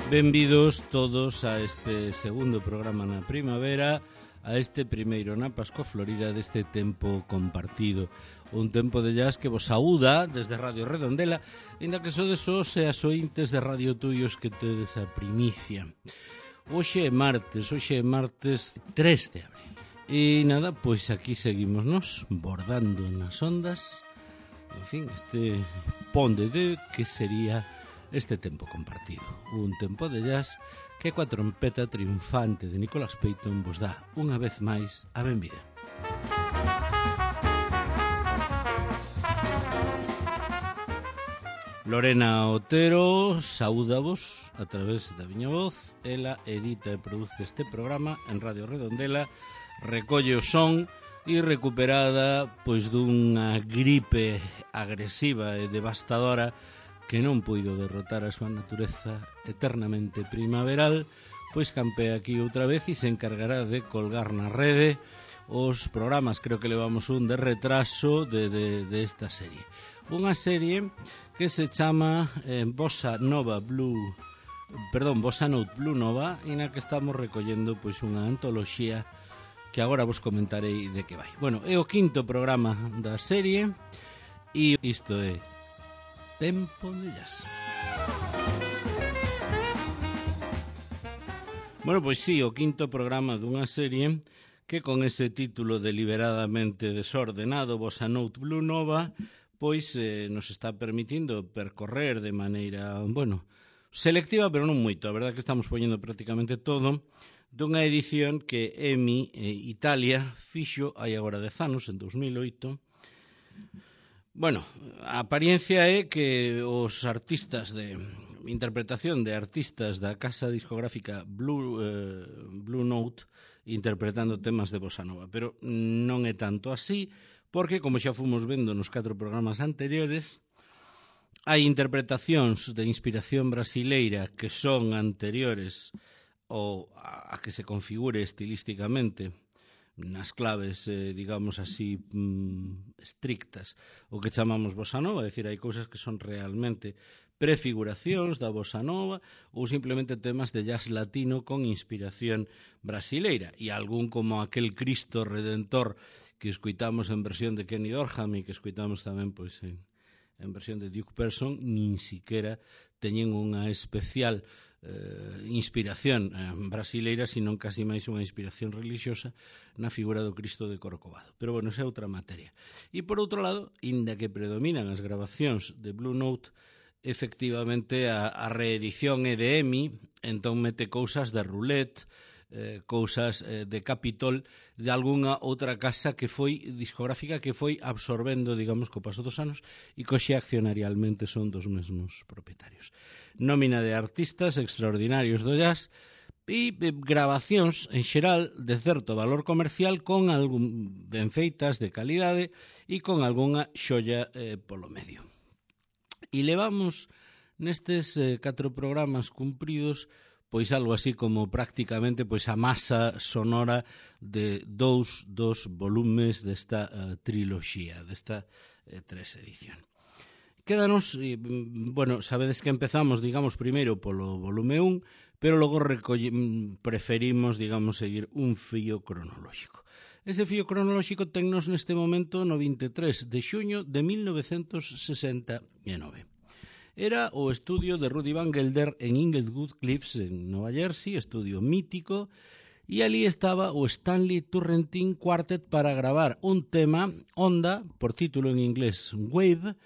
Benvidos todos a este segundo programa na primavera, a este primeiro na Pascua Florida deste tempo compartido. Un tempo de jazz que vos saúda desde Radio Redondela, ainda que sodes os e as ointes de Radio Tuyos que tedes a primicia. Hoxe é martes 3 de abril. E nada, pois aquí seguimos nos bordando nas ondas. En fin, este ponde de que sería este tempo compartido. Un tempo de jazz que coa trompeta triunfante de Nicholas Payton vos dá unha vez máis a benvida. Lorena Otero saúdavos a través da miña voz. Ela edita e produce este programa en Radio Redondela, recolle o son e recuperada pois dunha gripe agresiva e devastadora que non puido derrotar a súa natureza eternamente primaveral, pois campea aquí outra vez e se encargará de colgar na rede os programas. Creo que levamos un de retraso de esta serie. Unha serie que se chama Bossa Note Blue Nova, e na que estamos recollendo pois unha antoloxía que agora vos comentarei de que vai. Bueno, é o quinto programa da serie e isto é Tempo de Jazz. Bueno, pois sí, o quinto programa dunha serie que con ese título deliberadamente desordenado, Bossa Note Blue Nova, pois nos está permitindo percorrer de maneira, bueno, selectiva, pero non moito. A verdade é que estamos poñendo prácticamente todo dunha edición que EMI Italia fixo hai agora 10 anos, en 2008. Bueno, a apariencia é que os artistas de interpretación de artistas da casa discográfica Blue Note interpretando temas de bossa nova, pero non é tanto así, porque, como xa fomos vendo nos 4 programas anteriores, hai interpretacións de inspiración brasileira que son anteriores ou a que se configure estilísticamente nas claves, digamos así, estrictas, o que chamamos bossa nova, é dicir, hai cousas que son realmente prefiguracións da bossa nova ou simplemente temas de jazz latino con inspiración brasileira, e algún como aquel Cristo Redentor que escuitamos en versión de Kenny Dorham e que escuitamos tamén pois en versión de Duke Person, nin siquiera teñen unha especial inspiración brasileira, sino casi máis unha inspiración religiosa na figura do Cristo de Corcovado. Pero bueno, esa é outra materia. E por outro lado, inda que predominan as grabacións de Blue Note, efectivamente a reedición é de EMI, entón mete cousas de Roulette, cousas de Capitol, de algunha outra casa que foi discográfica que foi absorbendo, digamos, co paso dos anos e que hoxe accionarialmente son dos mesmos propietarios. Nómina de artistas extraordinarios do jazz e grabacións en xeral de certo valor comercial con algún ben feitas de calidade e con algunha xolla polo medio. E levamos nestes 4 programas cumpridos pois algo así como prácticamente pois a masa sonora de dos volumes desta triloxía, desta 3 edición. Quédanos, bueno, sabedes que empezamos, digamos, primeiro polo volume 1, pero logo preferimos, digamos, seguir un fío cronolóxico. Ese fío cronolóxico tennos neste momento no 23 de xuño de 1969. Era o estudio de Rudy Van Gelder en Inglewood Cliffs, en Nova Jersey, estudio mítico, e ali estaba o Stanley Turrentine Quartet para gravar un tema, Onda, por título en inglés Wave,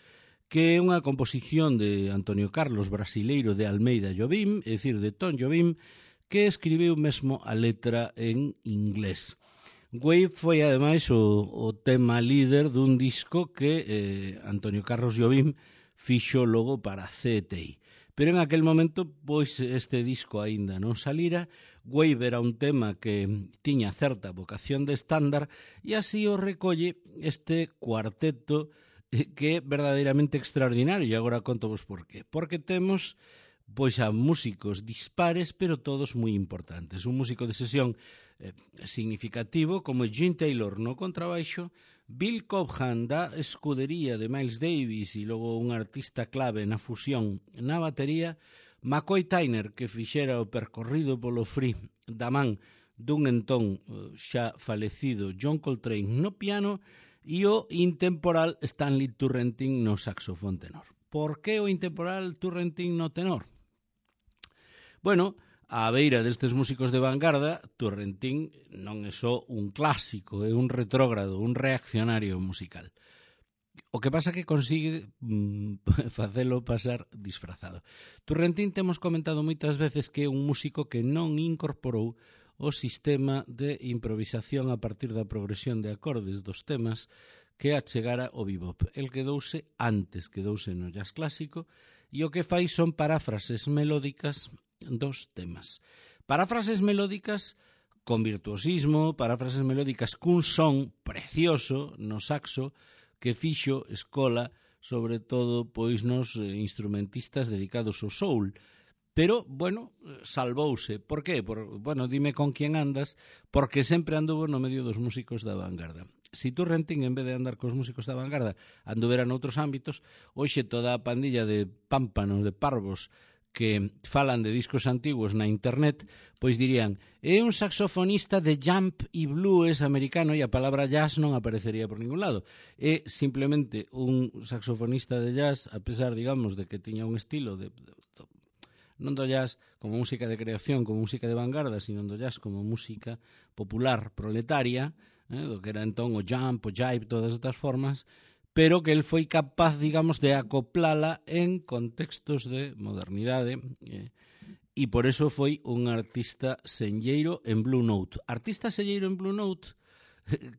que é unha composición de Antonio Carlos brasileiro de Almeida Jobim, é dicir, de Tom Jobim, que escribiu mesmo a letra en inglés. Wave foi, ademais, o tema líder dun disco que Antonio Carlos Jobim fixo logo para CTI. Pero en aquel momento, pois, este disco aínda non salira. Wave era un tema que tiña certa vocación de estándar e así o recolle este cuarteto que é verdadeiramente extraordinario, e agora contovos por qué. Porque temos pois a músicos dispares, pero todos moi importantes. Un músico de sesión significativo como Gene Taylor no contrabaixo, Bill Cobham da escudería de Miles Davis e logo un artista clave na fusión na batería, McCoy Tyner, que fixera o percorrido polo free da man dun entón xa falecido John Coltrane no piano e o intemporal Stanley Turrentine no saxofón tenor. Por que o intemporal Turrentine no tenor? Bueno, á beira destes músicos de vanguarda, Turrentine non é só un clásico, é un retrógrado, un reaccionario musical. O que pasa que consigue facelo pasar disfrazado. Turrentine temos comentado moitas veces que é un músico que non incorporou o sistema de improvisación a partir da progresión de acordes dos temas que achegara o bebop. El quedouse no jazz clásico e o que fai son paráfrases melódicas dos temas. Paráfrases melódicas con virtuosismo, paráfrases melódicas cun son precioso no saxo que fixo escola, sobre todo, pois nos instrumentistas dedicados ao soul. Pero, bueno, salvouse. Por qué? Dime con quen andas, porque sempre anduvo no medio dos músicos da vanguarda. Si Turrentine, en vez de andar cos músicos da vanguarda, anduvera noutros ámbitos, hoxe toda a pandilla de pámpanos, de parvos, que falan de discos antiguos na internet, pois dirían, é un saxofonista de jump e blues americano e a palabra jazz non aparecería por ningún lado. É simplemente un saxofonista de jazz, a pesar, digamos, de que tiña un estilo non do jazz como música de creación, como música de vanguarda, sino do jazz como música popular, proletaria, do que era entón o jump, o jive, todas estas formas, pero que el foi capaz, digamos, de acoplala en contextos de modernidade e por eso foi un artista senlleiro en Blue Note. Artista senlleiro en Blue Note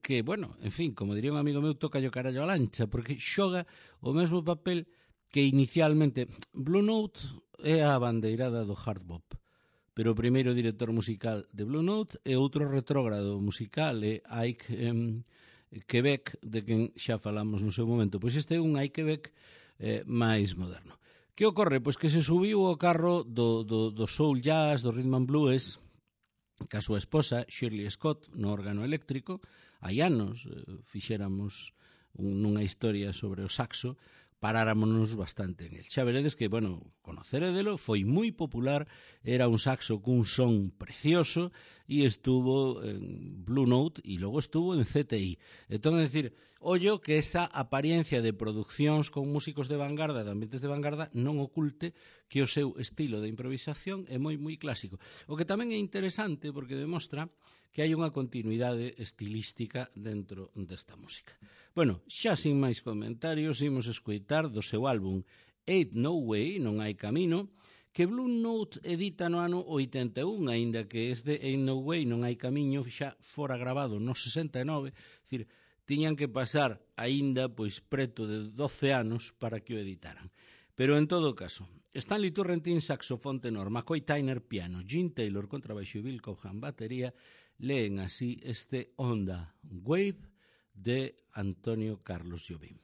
que, bueno, en fin, como diría un amigo meu, toca o carallo a lancha, porque xoga o mesmo papel que inicialmente Blue Note é a bandeirada do hard bop, pero o primeiro director musical de Blue Note é outro retrógrado musical, é Ike Quebec, de quen xa falamos no seu momento. Pois este é un Ike Quebec máis moderno. Que ocorre? Pois que se subiu ao carro do soul jazz, do rhythm and blues, ca súa esposa, Shirley Scott, no órgano eléctrico. Hai anos fixéramos nunha historia sobre o saxo, paráramonos bastante en el. Xa veredes que, bueno, conoceredelo, foi moi popular, era un saxo cun son precioso e estuvo en Blue Note e logo estuvo en CTI. Entón, é dicir, ollo que esa apariencia de produccións con músicos de vanguarda, de ambientes de vanguarda, non oculte que o seu estilo de improvisación é moi, moi clásico. O que tamén é interesante porque demostra que hai unha continuidade estilística dentro desta música. Bueno, xa sin máis comentarios, imos escoitar do seu álbum Ain't No Way, Non hai camino, que Blue Note edita no ano 81, aínda que este Ain't No Way, Non hai camiño xa fora grabado no 69, dicir, tiñan que pasar aínda pois preto de 12 anos para que o editaran. Pero en todo caso, Stanley Turrentine saxofón tenor, McCoy Tyner piano, Gene Taylor contrabaixo e Bill Cobham batería, leen así este Onda Wave de Antonio Carlos Jobim.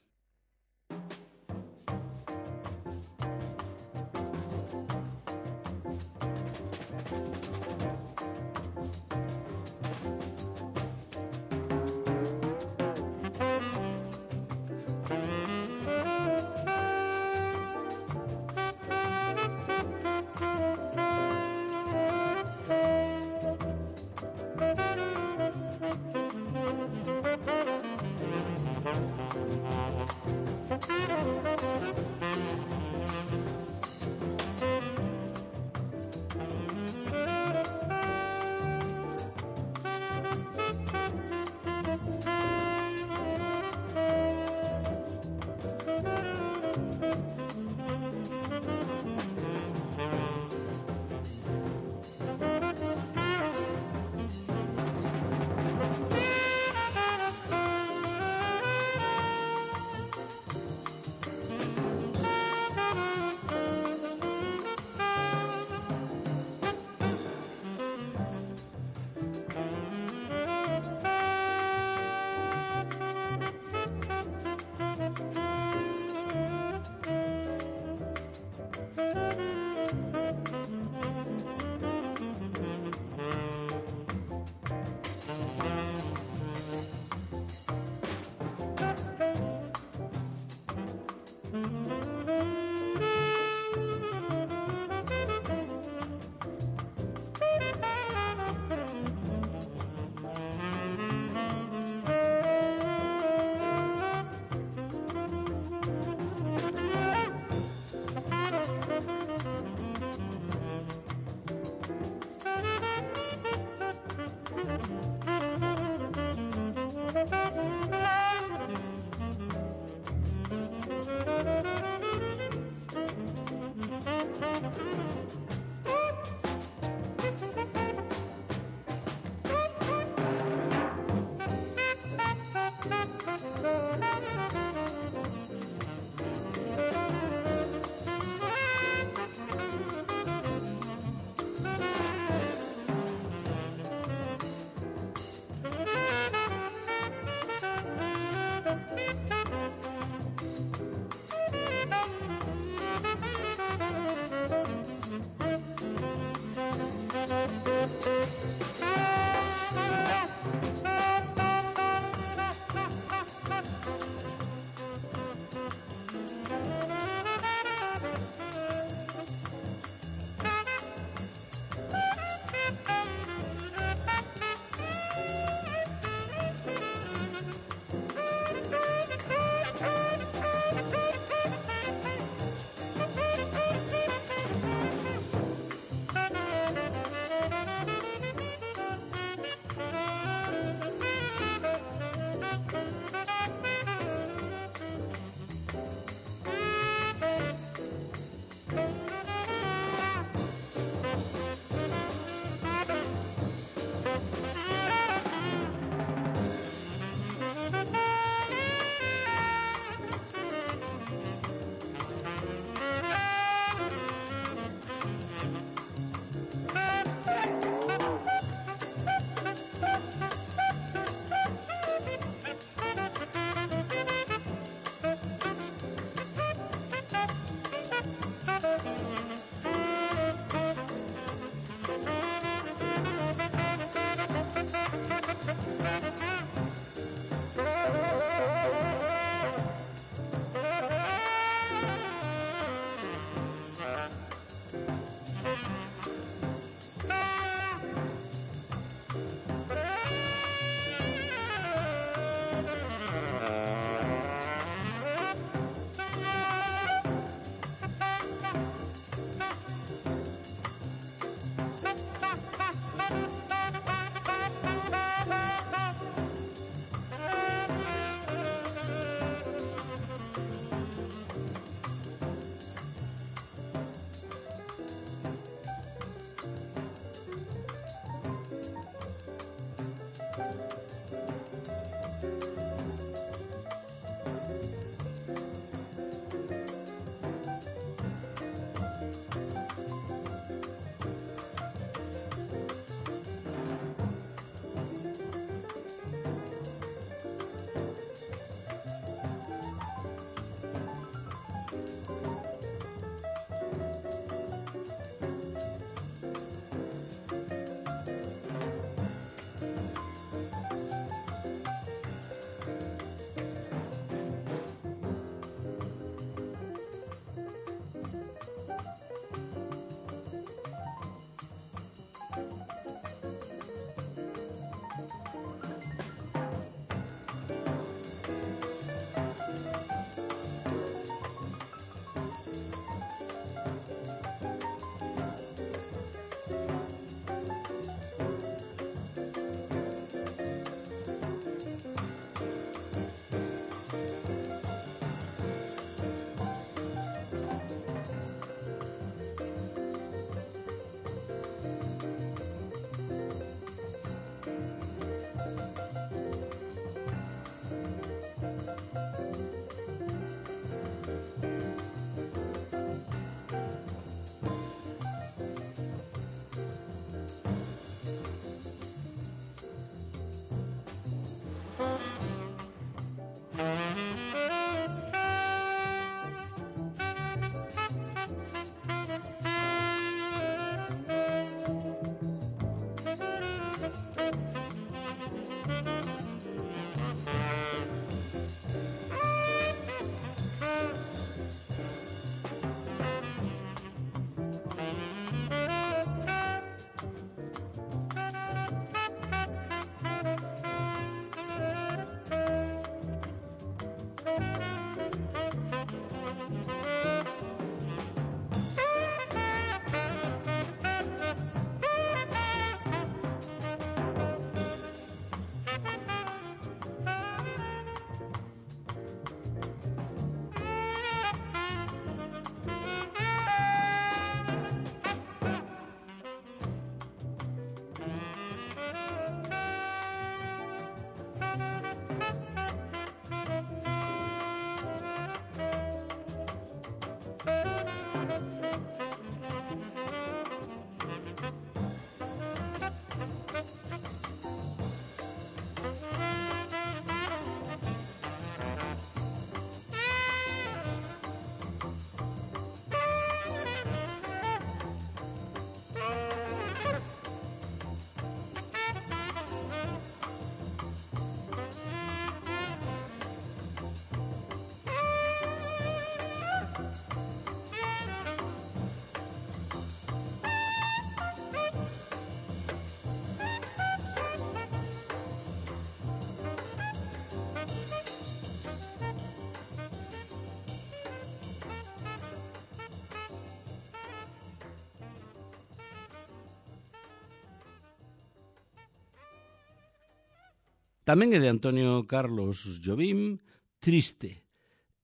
Tamén é de Antonio Carlos Jobim, Triste,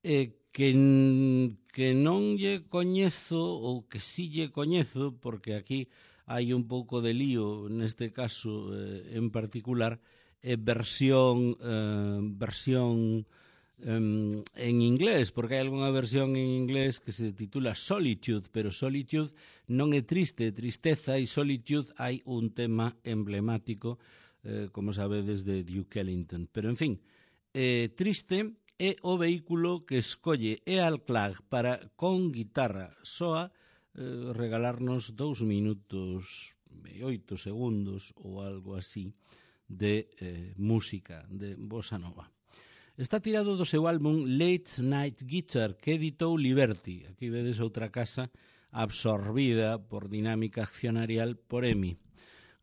que non lle coñezo, ou que sí lle coñezo, porque aquí hai un pouco de lío neste caso en particular, versión en inglés, porque hai algunha versión en inglés que se titula Solitude, pero Solitude non é triste, é tristeza, e Solitude hai un tema emblemático, como sabedes, de Duke Ellington. Pero, en fin, Triste é o vehículo que escolle Earl Clark para, con guitarra soa, regalarnos 2 minutos e 8 segundos ou algo así de música, de bossa nova. Está tirado do seu álbum Late Night Guitar, que editou Liberty. Aquí vedes outra casa absorbida por dinámica accionarial por EMI.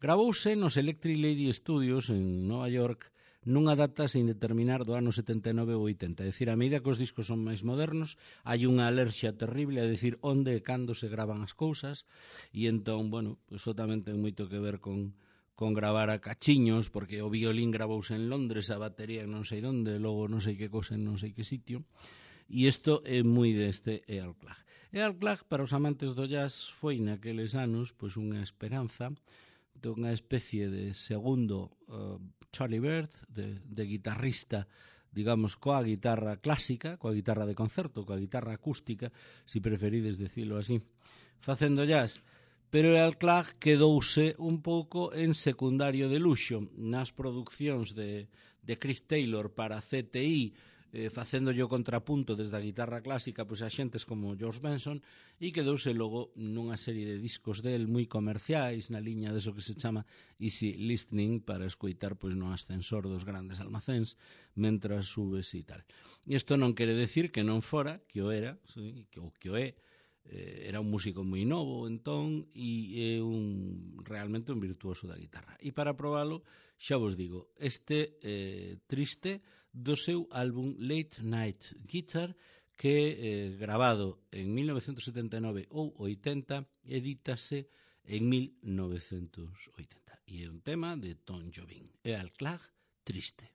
Gravouse nos Electric Lady Studios en Nova York nunha data sin determinar do ano 79 ou 80. É dicir, a medida que os discos son máis modernos, hai unha alerxia terrible a decir onde e cando se gravan as cousas, e entón, bueno, iso tamén ten moito que ver con gravar a cachiños, porque o violín gravouse en Londres, a batería en non sei onde, logo non sei que cousa en non sei que sitio, e isto é moi deste Earl Clark. Earl Clark, para os amantes do jazz, foi naqueles anos pois unha esperanza dunha especie de segundo Charlie Bird, de guitarrista, digamos, coa guitarra clásica, coa guitarra de concerto, coa guitarra acústica, si preferides decirlo así, facendo jazz. Pero Earl Clark quedouse un pouco en secundario de luxo nas producións de Chris Taylor para CTI, facéndolle o contrapunto desde a guitarra clásica pois a xentes como George Benson, e quedouse logo nunha serie de discos del moi comerciais na liña deso que se chama easy listening, para escoitar pois no ascensor dos grandes almacéns mentras subes e tal. Isto non quere decir que non fora, que o era, sí, ou que o é, era un músico moi novo entón, e é realmente un virtuoso da guitarra. E para probalo, xa vos digo, este Triste do seu álbum Late Night Guitar, que grabado en 1979 ou 80, edítase en 1980. E é un tema de Tom Jobim. Earl Clark, Triste.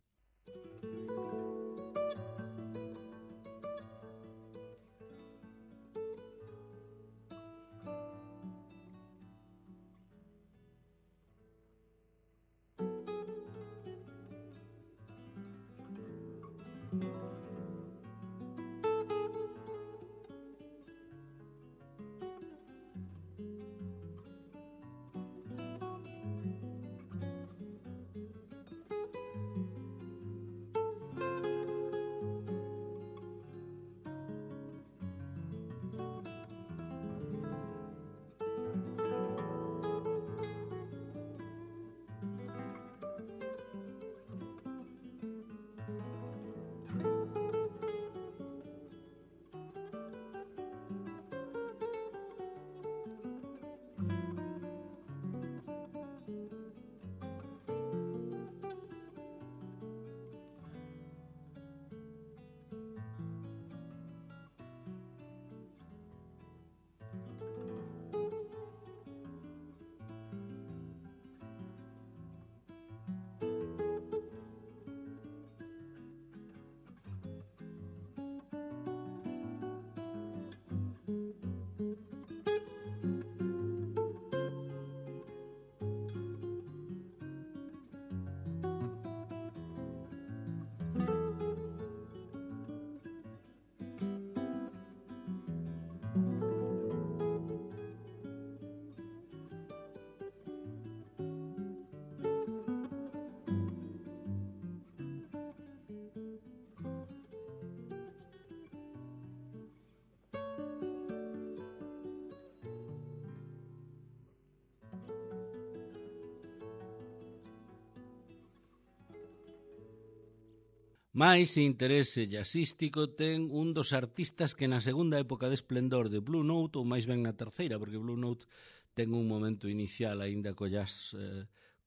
Mais interese jazzístico ten un dos artistas que na segunda época de esplendor de Blue Note, ou máis ben na terceira, porque Blue Note ten un momento inicial aínda co jazz,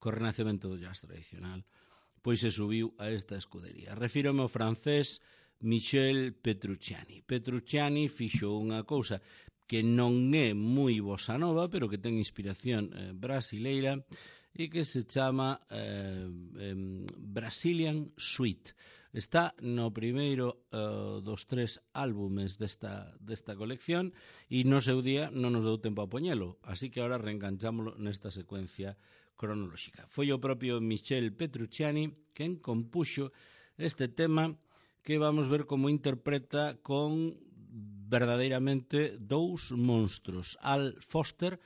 co renacemento do jazz tradicional, pois se subiu a esta escudería. Refírome ao francés Michel Petrucciani. Petrucciani fixo unha cousa que non é moi bossa nova, pero que ten inspiración brasileira, e que se chama Brazilian Suite. Está no primeiro dos 3 álbumes desta colección e no seu día non nos deu tempo a poñelo, así que agora reenganchámolo nesta secuencia cronolóxica. Foi o propio Michel Petrucciani quen compuxo este tema que vamos ver como interpreta con verdadeiramente dous monstros. Al Foster,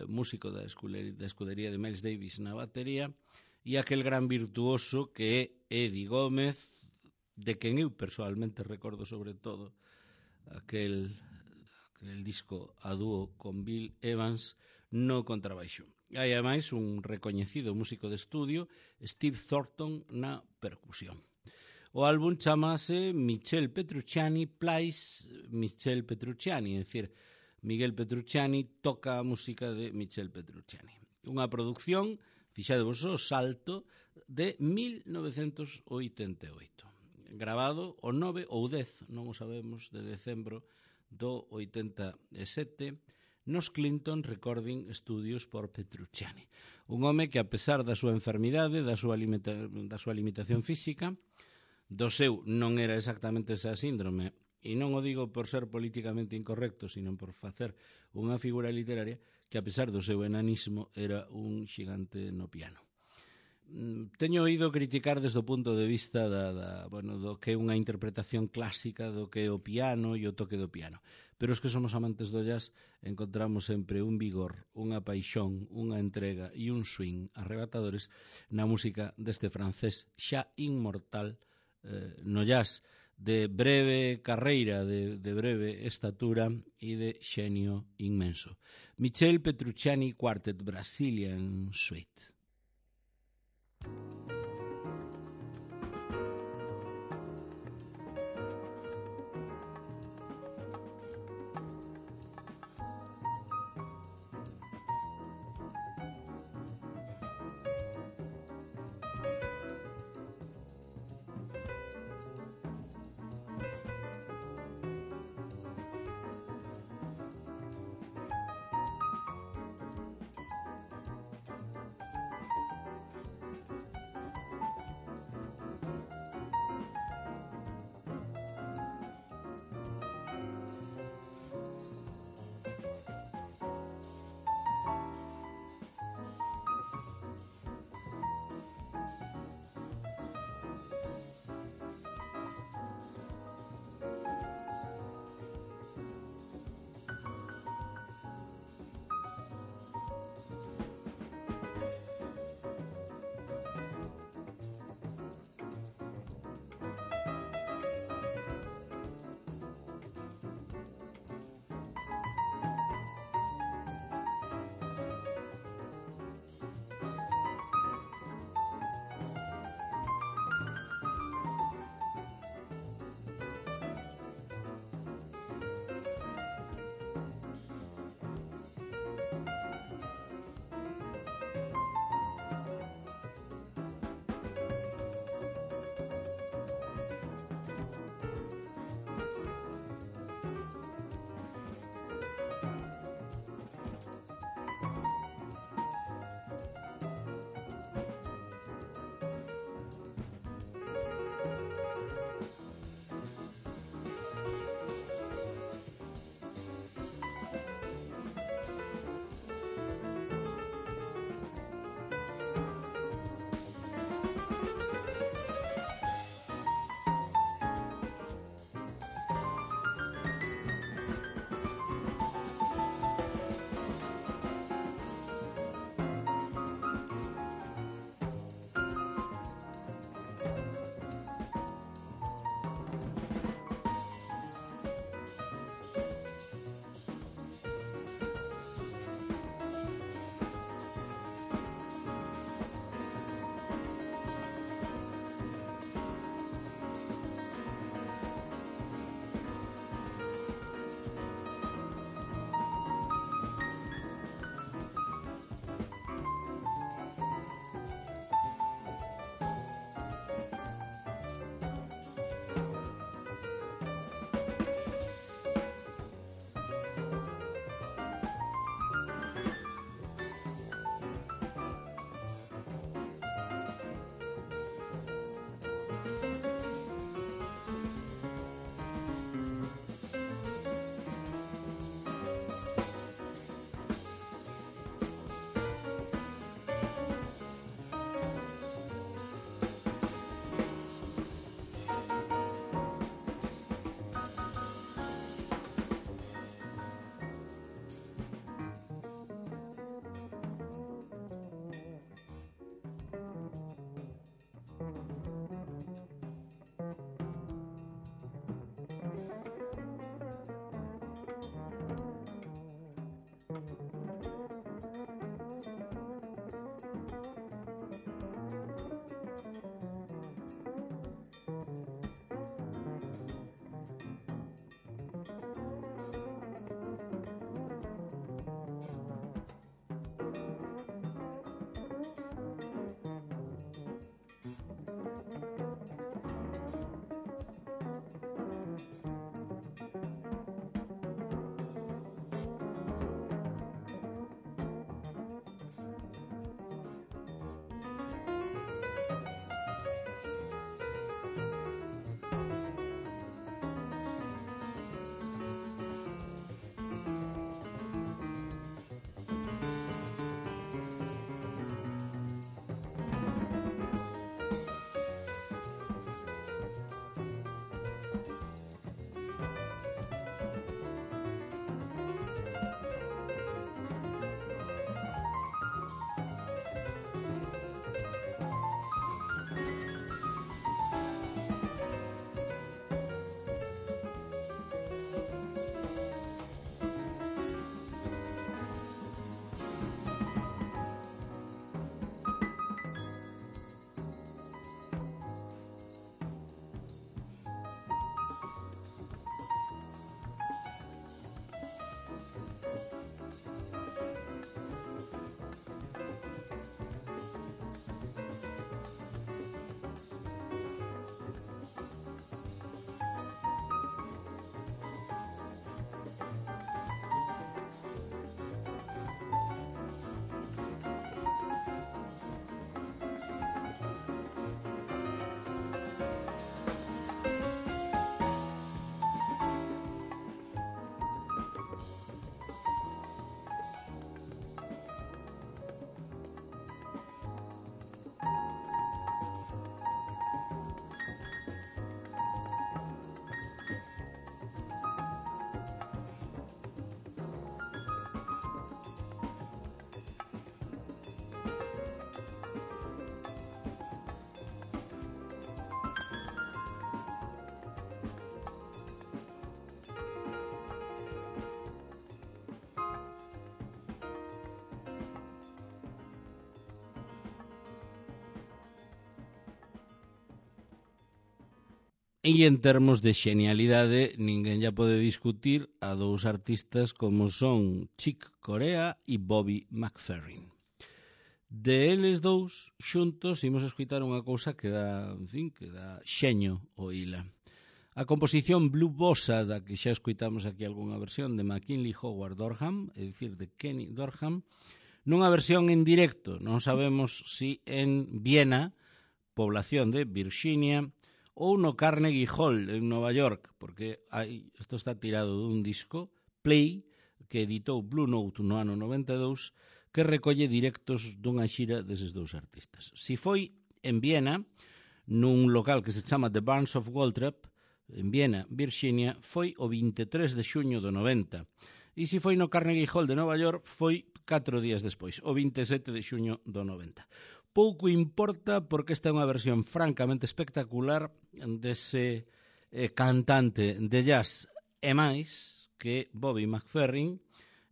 músico da escudería de Miles Davis na batería, e aquel gran virtuoso que é Eddie Gómez, de quen eu persoalmente recordo sobre todo aquel disco a dúo con Bill Evans no contrabaixo. Hai ademais un recoñecido músico de estudio, Steve Thornton, na percusión. O álbum chamase Michel Petrucciani Plays Michel Petrucciani, é dicir, Miguel Petrucciani toca a música de Michel Petrucciani. Unha produción, fixadevos o salto, de 1988. Grabado o 9 ou 10, non o sabemos, de decembro do 87, nos Clinton Recording Studios por Petrucciani. Un home que, a pesar da súa enfermidade, da súa limitación física, do seu non era exactamente esa síndrome, e non o digo por ser políticamente incorrecto, sino por facer unha figura literaria, que a pesar do seu enanismo era un xigante no piano. Teño oído criticar desde o punto de vista do que é unha interpretación clásica do que é o piano e o toque do piano. Pero os que somos amantes do jazz encontramos sempre un vigor, unha paixón, unha entrega e un swing arrebatadores na música deste francés xa inmortal no jazz, de breve carreira, de breve estatura e de xenio inmenso. Michel Petrucciani Quartet Brazilian Suite. E en termos de xenialidade, ninguén ya pode discutir a dous artistas como son Chick Corea e Bobby McFerrin. De eles dous xuntos imos escoitar unha cousa que dá, en fin, que dá xeño o ila. A composición Blue Bossa, da que xa escoitamos aquí algunha versión de McKinley Howard Dorham, é dicir, de Kenny Dorham, nunha versión en directo, non sabemos si en Viena, población de Virginia, ou no Carnegie Hall en Nova York, porque isto está tirado dun disco, Play, que editou Blue Note no ano 92, que recolle directos dunha xira deses dous artistas. Si foi en Viena, nun local que se chama The Barns of Waltrip, en Viena, Virginia, foi o 23 de xuño do 90. E se foi no Carnegie Hall de Nova York, foi 4 días despois, o 27 de xuño do 90. Pouco importa porque esta é unha versión francamente espectacular dese cantante de jazz e máis que Bobby McFerrin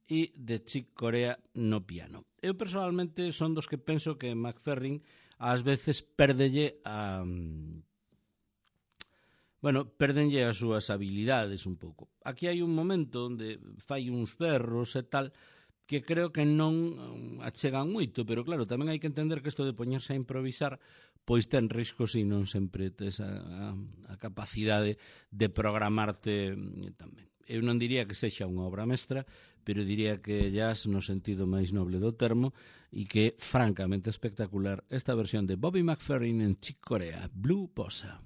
e de Chick Corea no piano. Eu personalmente son dos que penso que McFerrin ás veces pérdelle perdenlle as súas habilidades un pouco. Aquí hai un momento onde fai uns berros e tal que creo que non achegan moito, pero claro, tamén hai que entender que isto de poñerse a improvisar pois ten riscos e non sempre tes a capacidade de programarte tamén. Eu non diría que sexa unha obra mestra, pero diría que jazz no sentido máis noble do termo e que é francamente espectacular esta versión de Bobby McFerrin en Chick Corea, Blue Bossa.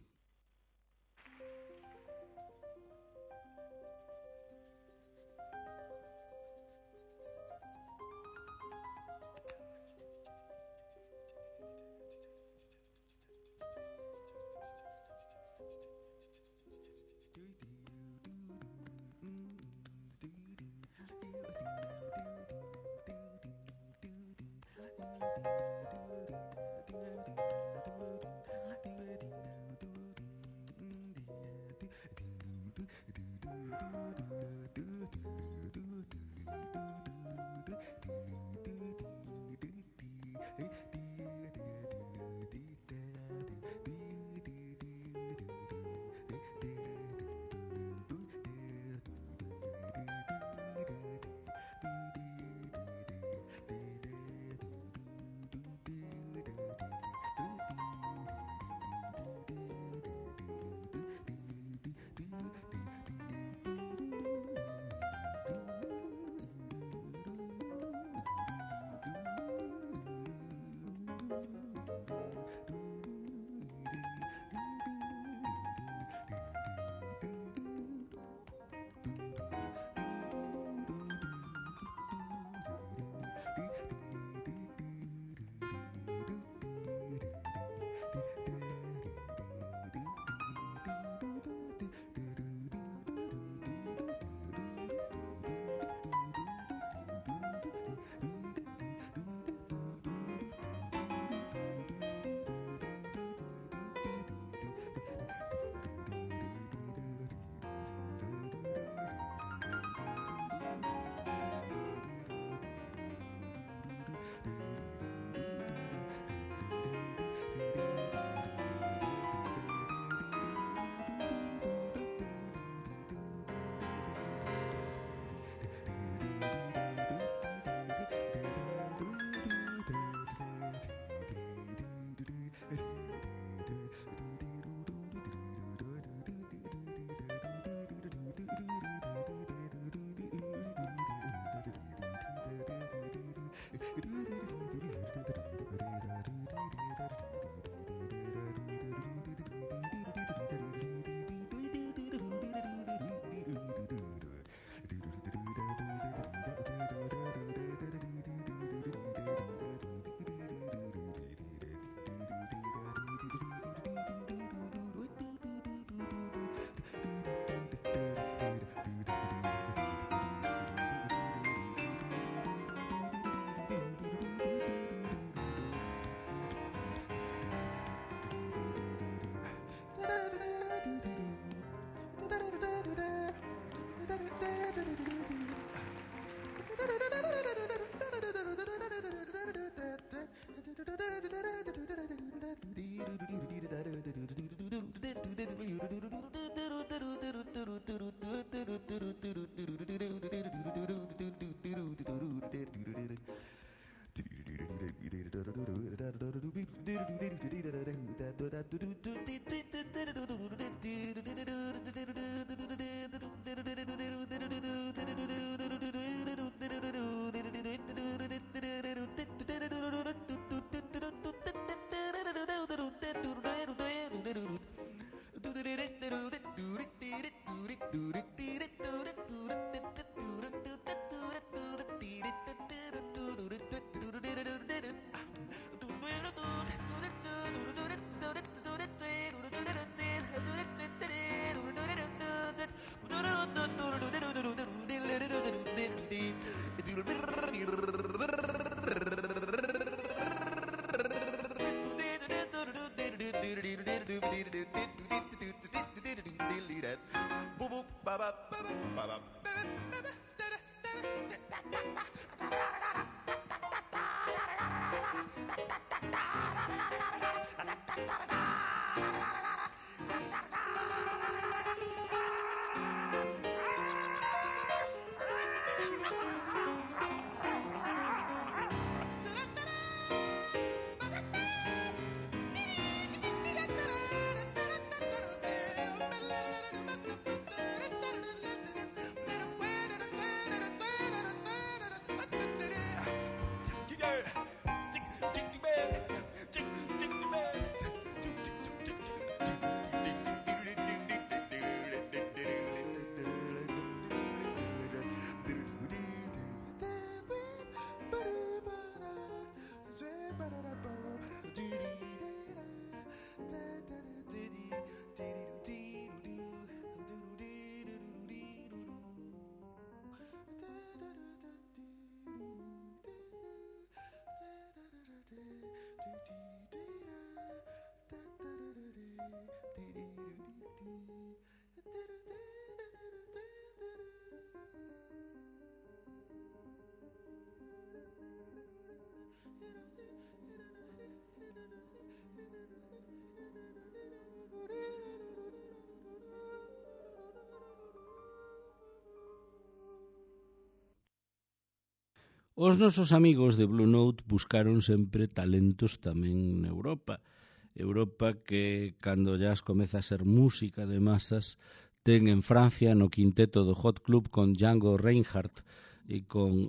Os nosos amigos de Blue Note buscaron sempre talentos tamén na Europa. Europa que, cando ya comeza a ser música de masas, ten en Francia no quinteto do Hot Club con Django Reinhardt e con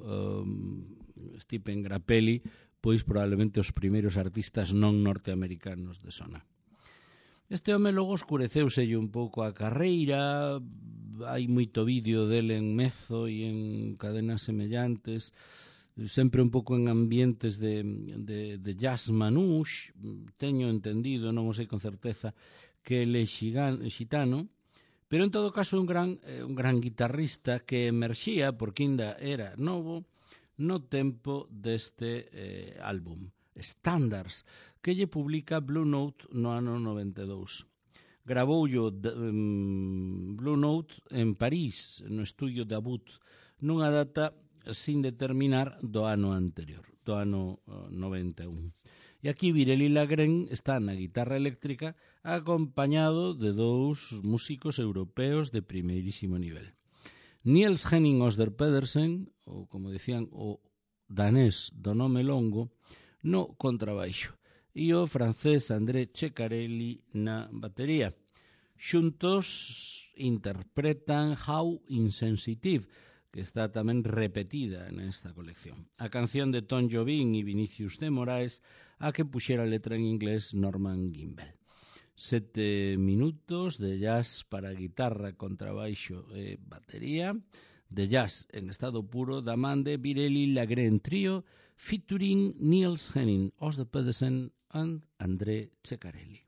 Stephen Grappelli, pois probablemente os primeiros artistas non norteamericanos de sona. Este home logo escureceuselle un pouco a carreira, hai moito vídeo dele en Mezzo e en cadenas semellantes, sempre un pouco en ambientes de jazz manouche. Teño entendido, non o sei con certeza, que ele é xitano, pero en todo caso un gran guitarrista que emerxía, porque ainda era novo, no tempo deste álbum, Standards, que lle publica Blue Note no ano 92. Gravoullo Blue Note en París, no estudio de Abut, nunha data sin determinar do ano anterior, do ano 91. E aquí Virelli Lagrén está na guitarra eléctrica acompañado de dous músicos europeos de primeirísimo nivel. Niels Henning Osder Pedersen, ou como decían o danés do nome longo, no contrabaixo, e o francés André Ceccarelli na batería. Xuntos interpretan How Insensitive, que está tamén repetida nesta colección. A canción de Tom Jobim e Vinicius de Moraes, a que puxera a letra en inglés Norman Gimbel. 7 minutos de jazz para guitarra, contrabaixo e batería, de jazz en estado puro da man de Virelli Lagrén Trio, featuring Niels Henning, Osder Pedersen and André Ceccarelli.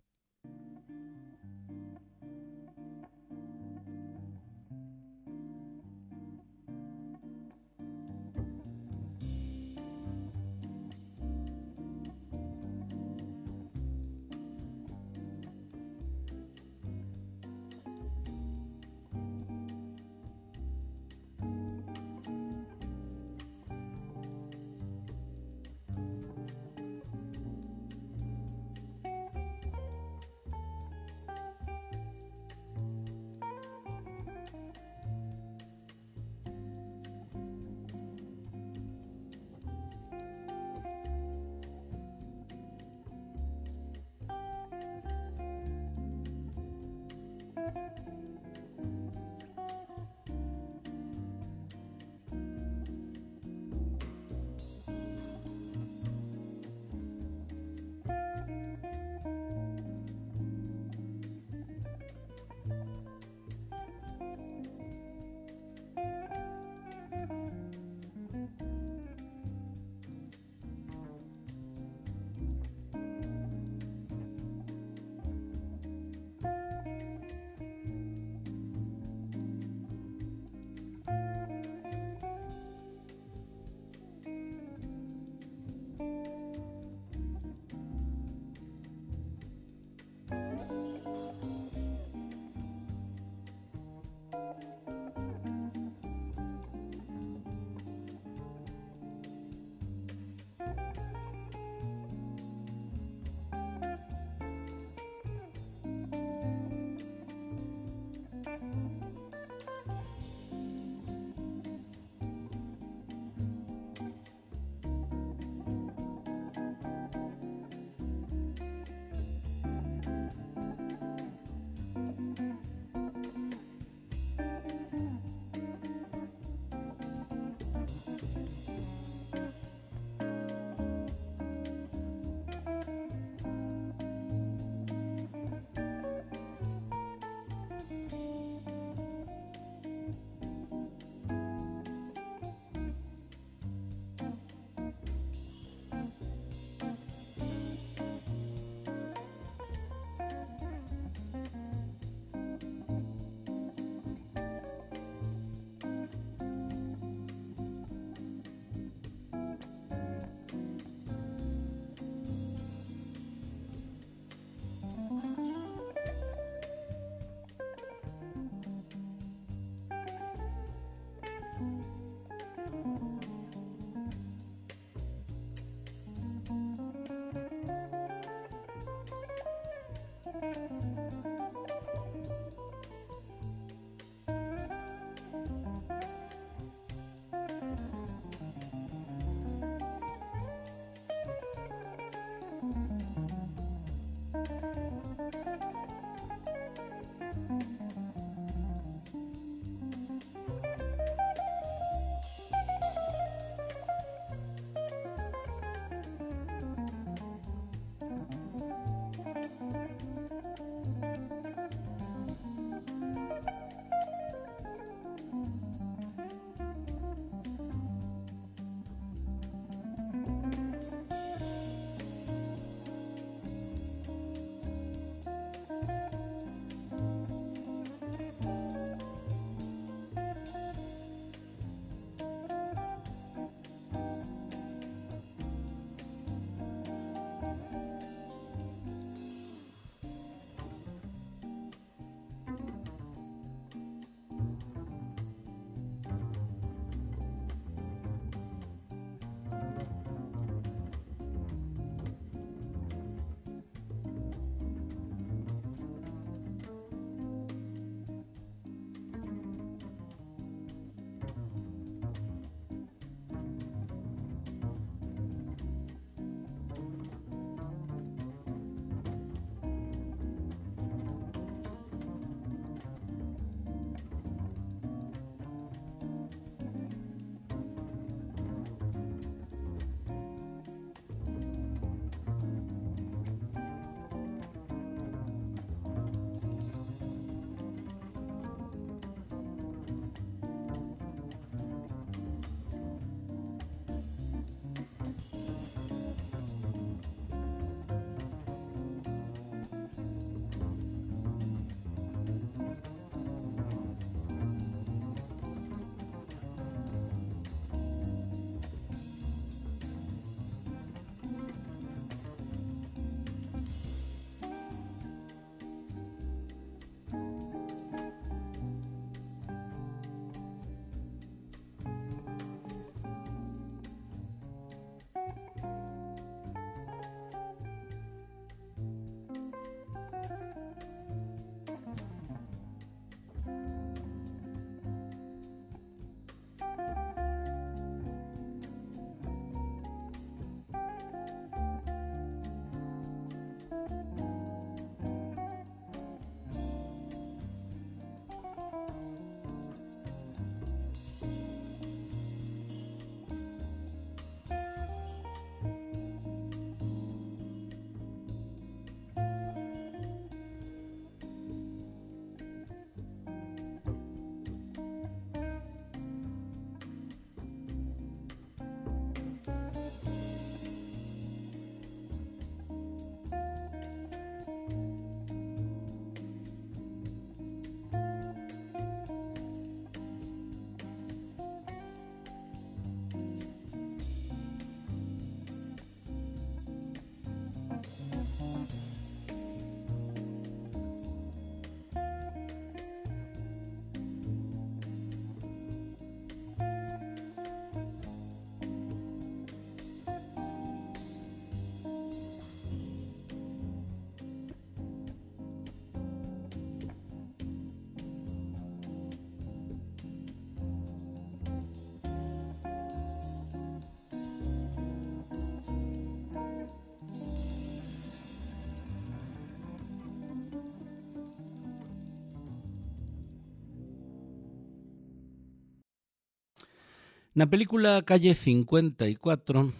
Na película Calle 54,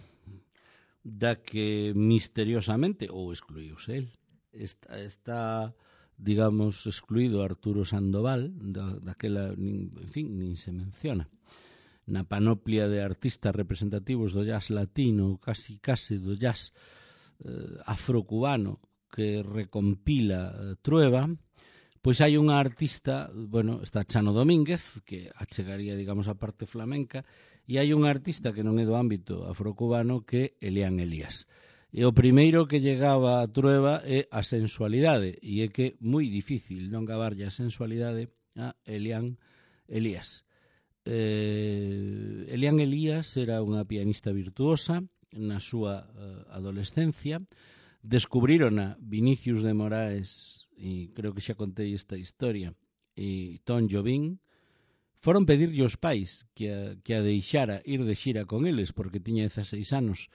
da que misteriosamente, ou excluíuse el, está digamos, excluído Arturo Sandoval, daquela, en fin, nin se menciona. Na panoplia de artistas representativos do jazz latino, casi do jazz afrocubano que recompila Trueba, pois hai unha artista, bueno, está Chano Domínguez, que achegaría, digamos, a parte flamenca, e hai unha artista que non é do ámbito afrocubano que é Elian Elías. E o primeiro que llegaba a Trueba é a sensualidade, e é que é moi difícil non gabarlle a sensualidade a Elian Elías. Elian Elías era unha pianista virtuosa na súa adolescencia. Descubrirona Vinicius de Moraes, e creo que xa contei esta historia, e Tom Jobim. Foron pedirlle aos pais que a deixara ir de xira con eles, porque tiña 16 anos.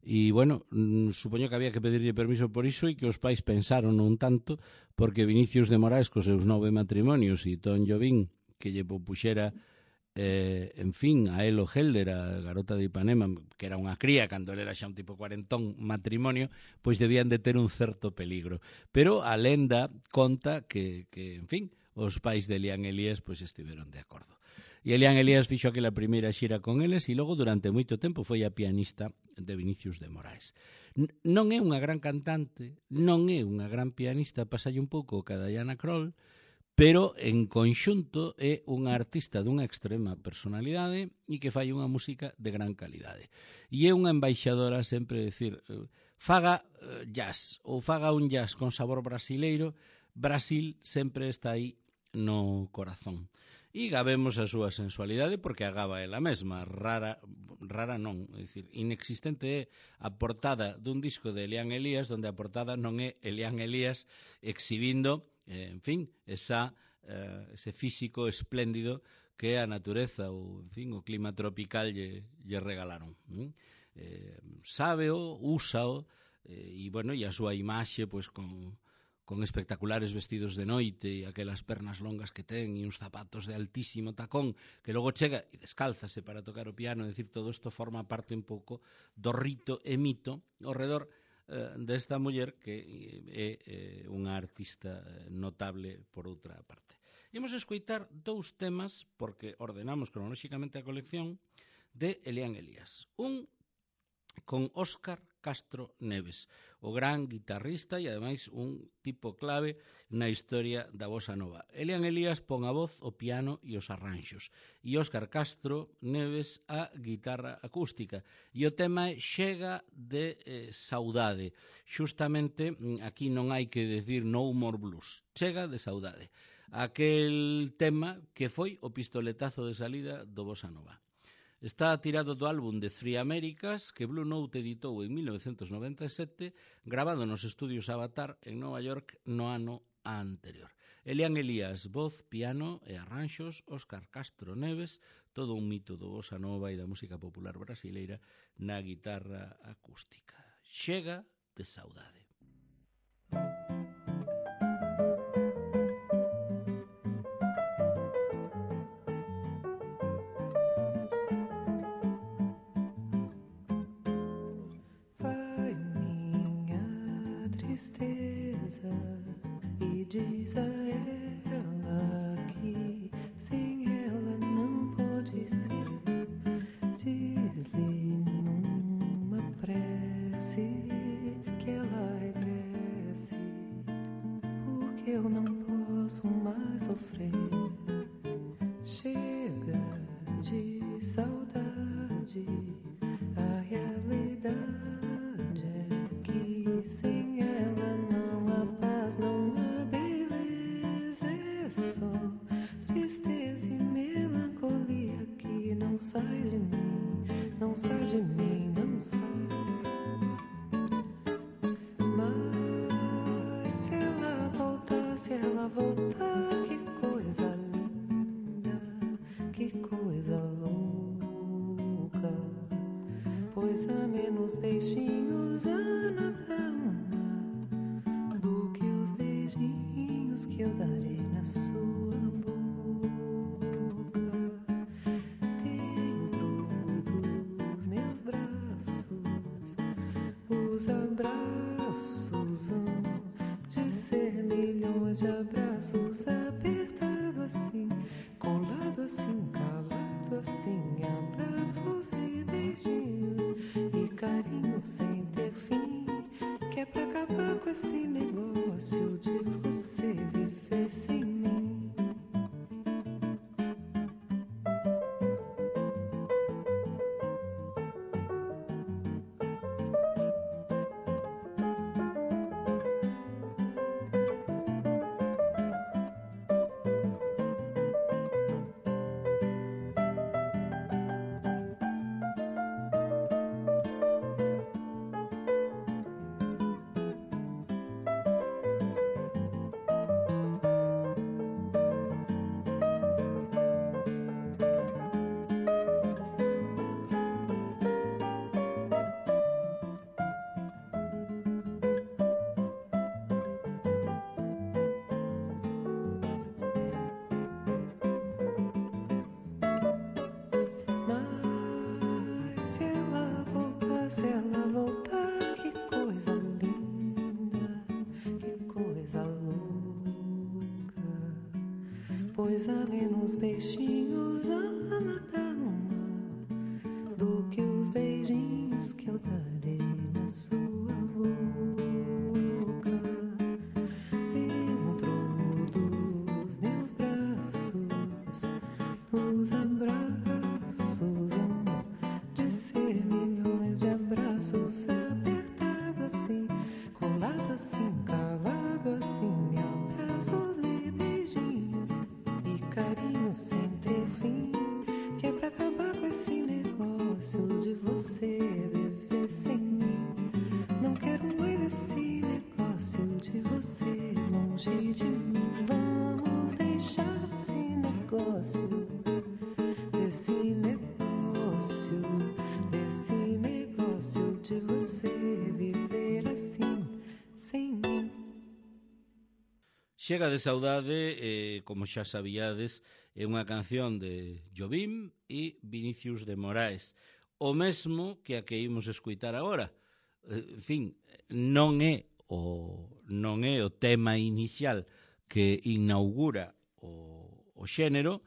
E, bueno, supoño que había que pedirlle permiso por iso, e que os pais pensaron un tanto, porque Vinicius de Moraes, cos seus 9 matrimonios, e Tom Jobim, que lle puxera, en fin, a Elo Helder, a garota de Ipanema, que era unha cría, cando ele era xa un tipo cuarentón, matrimonio, pois debían de ter un certo peligro. Pero a lenda conta que en fin, os pais de Elian Elías pois estiveron de acordo. E Elian Elías fixo aquela primeira xira con eles e logo durante moito tempo foi a pianista de Vinicius de Moraes. Non é unha gran cantante, non é unha gran pianista, pasalle un pouco ca Diana Krall, pero en conxunto é unha artista dunha extrema personalidade e que fai unha música de gran calidade. E é unha embaixadora sempre decir, faga jazz ou faga un jazz con sabor brasileiro, Brasil sempre está aí no corazón. E gabemos a súa sensualidade porque a gaba ela mesma, rara non, é dicir, inexistente é a portada dun disco de Elian Elías onde a portada non é Elian Elías exhibindo, en fin, ese físico espléndido que a natureza ou, en fin, o clima tropical lle regalaron. Sábeo, úsao, e, bueno, e a súa imaxe, pois, con espectaculares vestidos de noite e aquelas pernas longas que ten e uns zapatos de altísimo tacón que logo chega e descálzase para tocar o piano, é dicir, todo isto forma parte un pouco do rito e mito ao redor desta muller que é unha artista notable por outra parte. Imos escoitar dous temas, porque ordenamos cronolóxicamente a colección, de Elian Elías. Un con Óscar Castro Neves, o gran guitarrista e ademais un tipo clave na historia da bossa nova. Elian Elías pon a voz, o piano e os arranxos, e Óscar Castro Neves a guitarra acústica. E o tema é Chega de Saudade. Xustamente aquí non hai que decir No More Blues, Chega de Saudade. Aquel tema que foi o pistoletazo de salida do bossa nova. Está tirado do álbum de Three Americas que Blue Note editou en 1997, grabado nos estudios Avatar en Nova York no ano anterior. Elian Elías, voz, piano e arranxos, Óscar Castro Neves, todo un mito do bossa nova e da música popular brasileira na guitarra acústica. Chega de Saudade. Tristeza e diz a ela que sem ela não pode ser. Diz-lhe numa prece que ela regresse, porque eu não posso mais sofrer. Chega de saudade, a realidade é que sem ela não há paz, não há beleza, é só tristeza e melancolia que não sai de mim, não sai de mim, não sai. Mas se ela voltar, que coisa linda, que coisa louca, pois há menos beijinhos na cama do que os beijinhos que eu darei na sua boca. Dentro Os abraços hão de ser milhões de abraços, apertado assim, colado assim, calado assim, abraços e beijinhos e carinho sem ter fim, que é pra acabar com esse negócio de você viver sem mim. Se ela voltar, que coisa linda, que coisa louca. Pois há menos beijinhos a nadar no mar do que os beijinhos que eu darei na sua boca. Dentro dos meus braços, os abraços hão de ser milhões de abraços, apertado assim, colado assim, calado assim, abraços e beijinhos e carinho sem ter fim, que é pra acabar com esse negócio de você viver sem mim. Não quero mais esse negócio de você longe de mim. Vamos deixar esse negócio, desse negócio de você viver assim, sem mim. Chega de saudade, como xa sabíades, é unha canción de Jobim e Vinicius de Moraes, o mesmo que a que imos escuitar agora. En fin, non é o tema inicial que inaugura o xénero,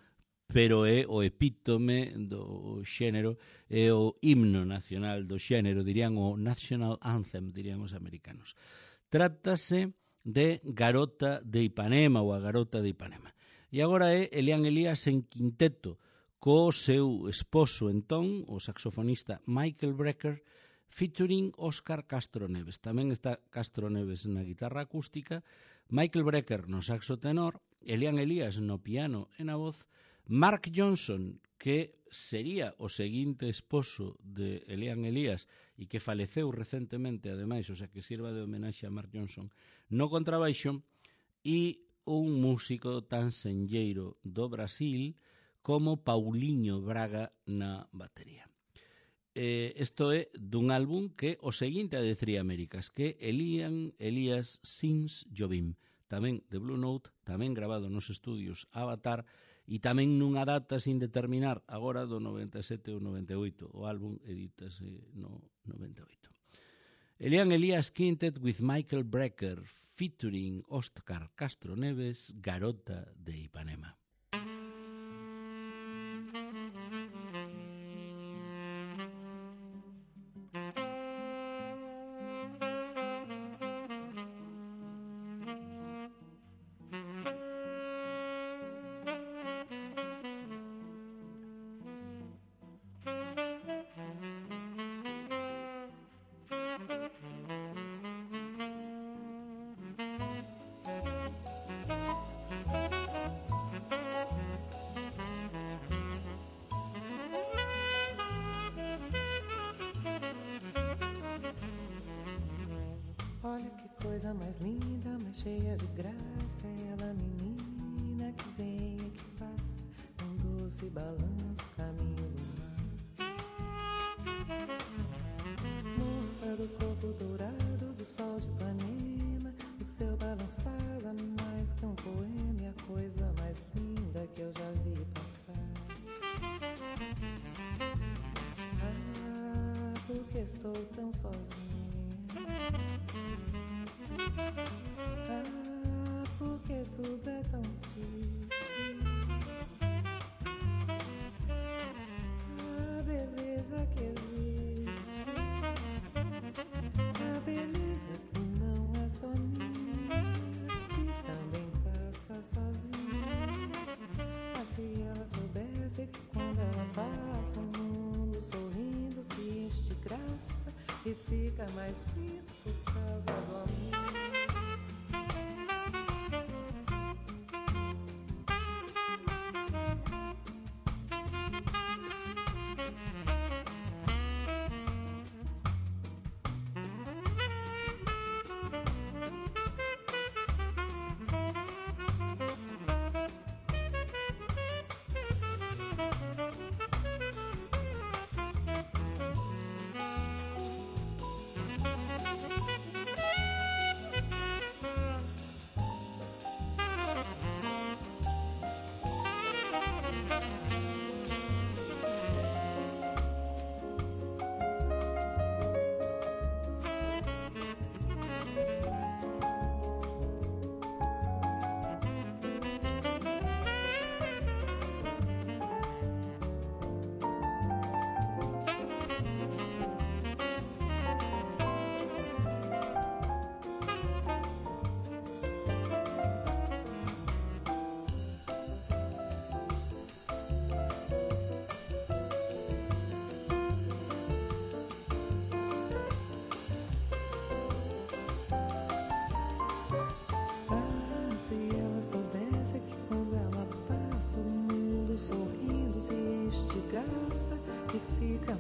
pero é o epítome do xénero, é o himno nacional do xénero, dirían o National Anthem, dirían os americanos. Trátase de Garota de Ipanema, ou a Garota de Ipanema. E agora é Elian Elias en quinteto, co seu esposo entón, o saxofonista Michael Brecker, featuring Óscar Castro Neves. Tamén está Castro Neves na guitarra acústica, Michael Brecker no saxo tenor, Elian Elias no piano e na voz, Mark Johnson, que sería o seguinte esposo de Elian Elias e que faleceu recentemente, ademais, o sea que sirva de homenaxe a Mark Johnson, no contrabaixo, e un músico tan senlleiro do Brasil como Paulinho Braga na batería. Isto é dun álbum que o seguinte a de Three Américas, que Elian Elias Sings Jobim, tamén de Blue Note, tamén grabado nos estudios Avatar, e tamén nunha data sin determinar, agora do 97 ou 98, o álbum edítase no 98. Elian Elias Quintet with Michael Brecker, featuring Óscar Castro Neves, Garota de Ipanema. Olha que coisa mais linda, mais cheia de graça, ela menina que vem e que passa, um doce balanço, caminho do mar. Moça do corpo dourado, do sol de Ipanema, o seu balançar é mais que um poema, e a coisa mais linda que eu já vi passar. Ah, porque estou tão sozinha, Ah, porque tudo é tão triste. A beleza que existe, a beleza que não é só minha, que também passa sozinha. Ah, se ela soubesse que quando ela passa o mundo sorrindo se enche de graça e fica mais lindo por causa do amor.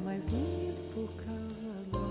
Mais lindo por causa do amor.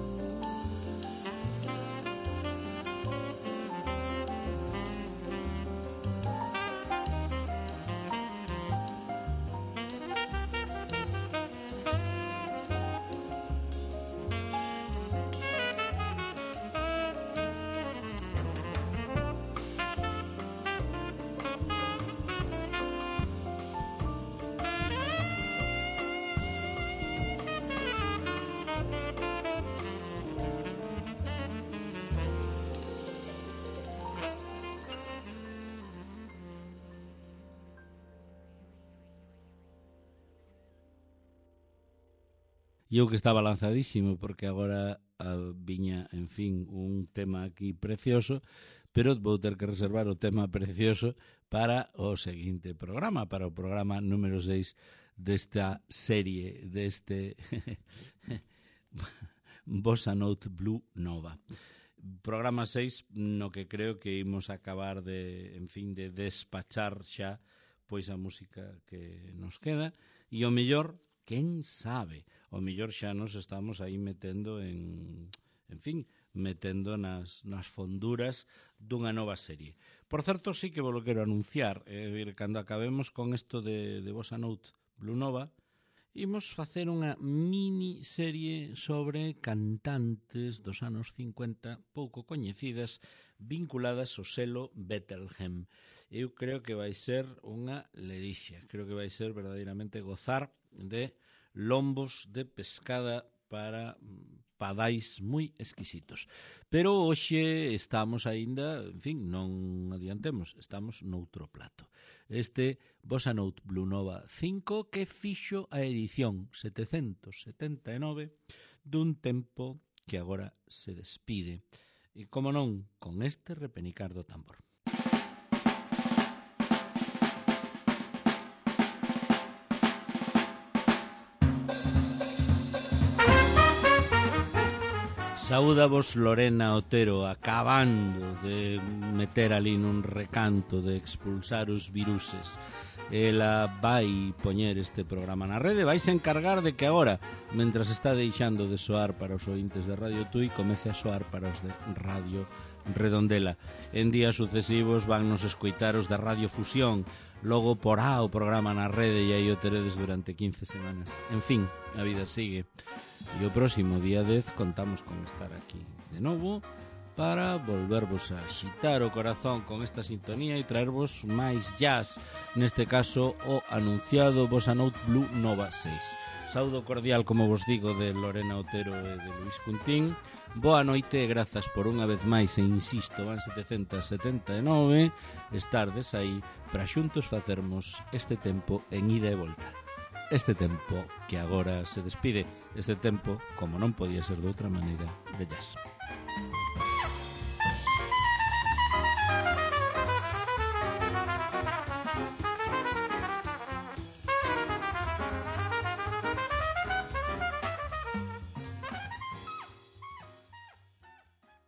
E eu que estaba lanzadísimo, porque agora viña, en fin, un tema aquí precioso, pero vou ter que reservar o tema precioso para o seguinte programa, para o programa número 6 desta serie, deste Bossa Note Blue Nova. Programa 6 no que creo que imos acabar de, en fin, de despachar xa pois a música que nos queda, e o mellor, quen sabe, o mellor xa nos estamos aí metendo en fin, metendo nas fonduras dunha nova serie. Por certo, sí que vos lo quero anunciar, cando acabemos con isto de Bossa Note Blue Nova, imos facer unha mini serie sobre cantantes dos anos 50 pouco coñecidas vinculadas ao selo Bethlehem. Eu creo que vai ser unha ledicia, creo que vai ser verdadeiramente gozar de lombos de pescada para padais moi exquisitos. Pero hoxe estamos aínda, en fin, non adiantemos, estamos noutro plato. Este Bossa Note Blue Nova 5 que fixo a edición 779 dun tempo que agora se despide. E, como non, con este repenicar do tambor. Saúdavos Lorena Otero, acabando de meter ali nun recanto de expulsar os viruses. Ela vai poñer este programa na rede, vais encargar de que agora, mentras está deixando de soar para os ointes de Radio Tui, comece a soar para os de Radio Redondela. En días sucesivos van nos escoitar os de Radio Fusión, logo porá o programa na rede e aí o teredes durante 15 semanas. En fin, a vida sigue. E o próximo día 10 contamos con estar aquí de novo para volvervos a xitar o corazón con esta sintonía e traervos máis jazz, neste caso o anunciado Bossa Note Blue Nova 6. Saúdo cordial, como vos digo, de Lorena Otero e de Luis Cuntín. Boa noite e grazas por unha vez máis, e insisto, van 779, estardes aí para xuntos facermos este tempo en ida e volta. Este tempo que agora se despide, este tempo, como non podía ser de outra maneira, de jazz.